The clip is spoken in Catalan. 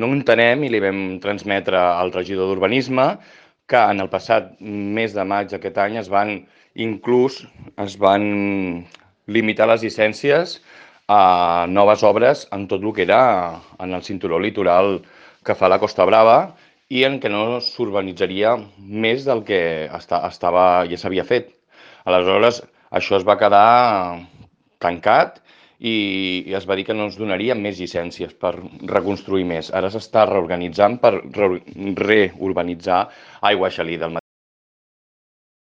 no entenem i li vam transmetre al regidor d'Urbanisme que en el passat mes de maig d'aquest any es van limitar les llicències a noves obres en tot el que era en el cinturó litoral que fa la Costa Brava i en què no s'urbanitzaria més del que ja s'havia fet. Aleshores, això es va quedar tancat i es va dir que no ens donarien més llicències per reconstruir més. Ara s'està reorganitzant per reurbanitzar Aigua Gelida.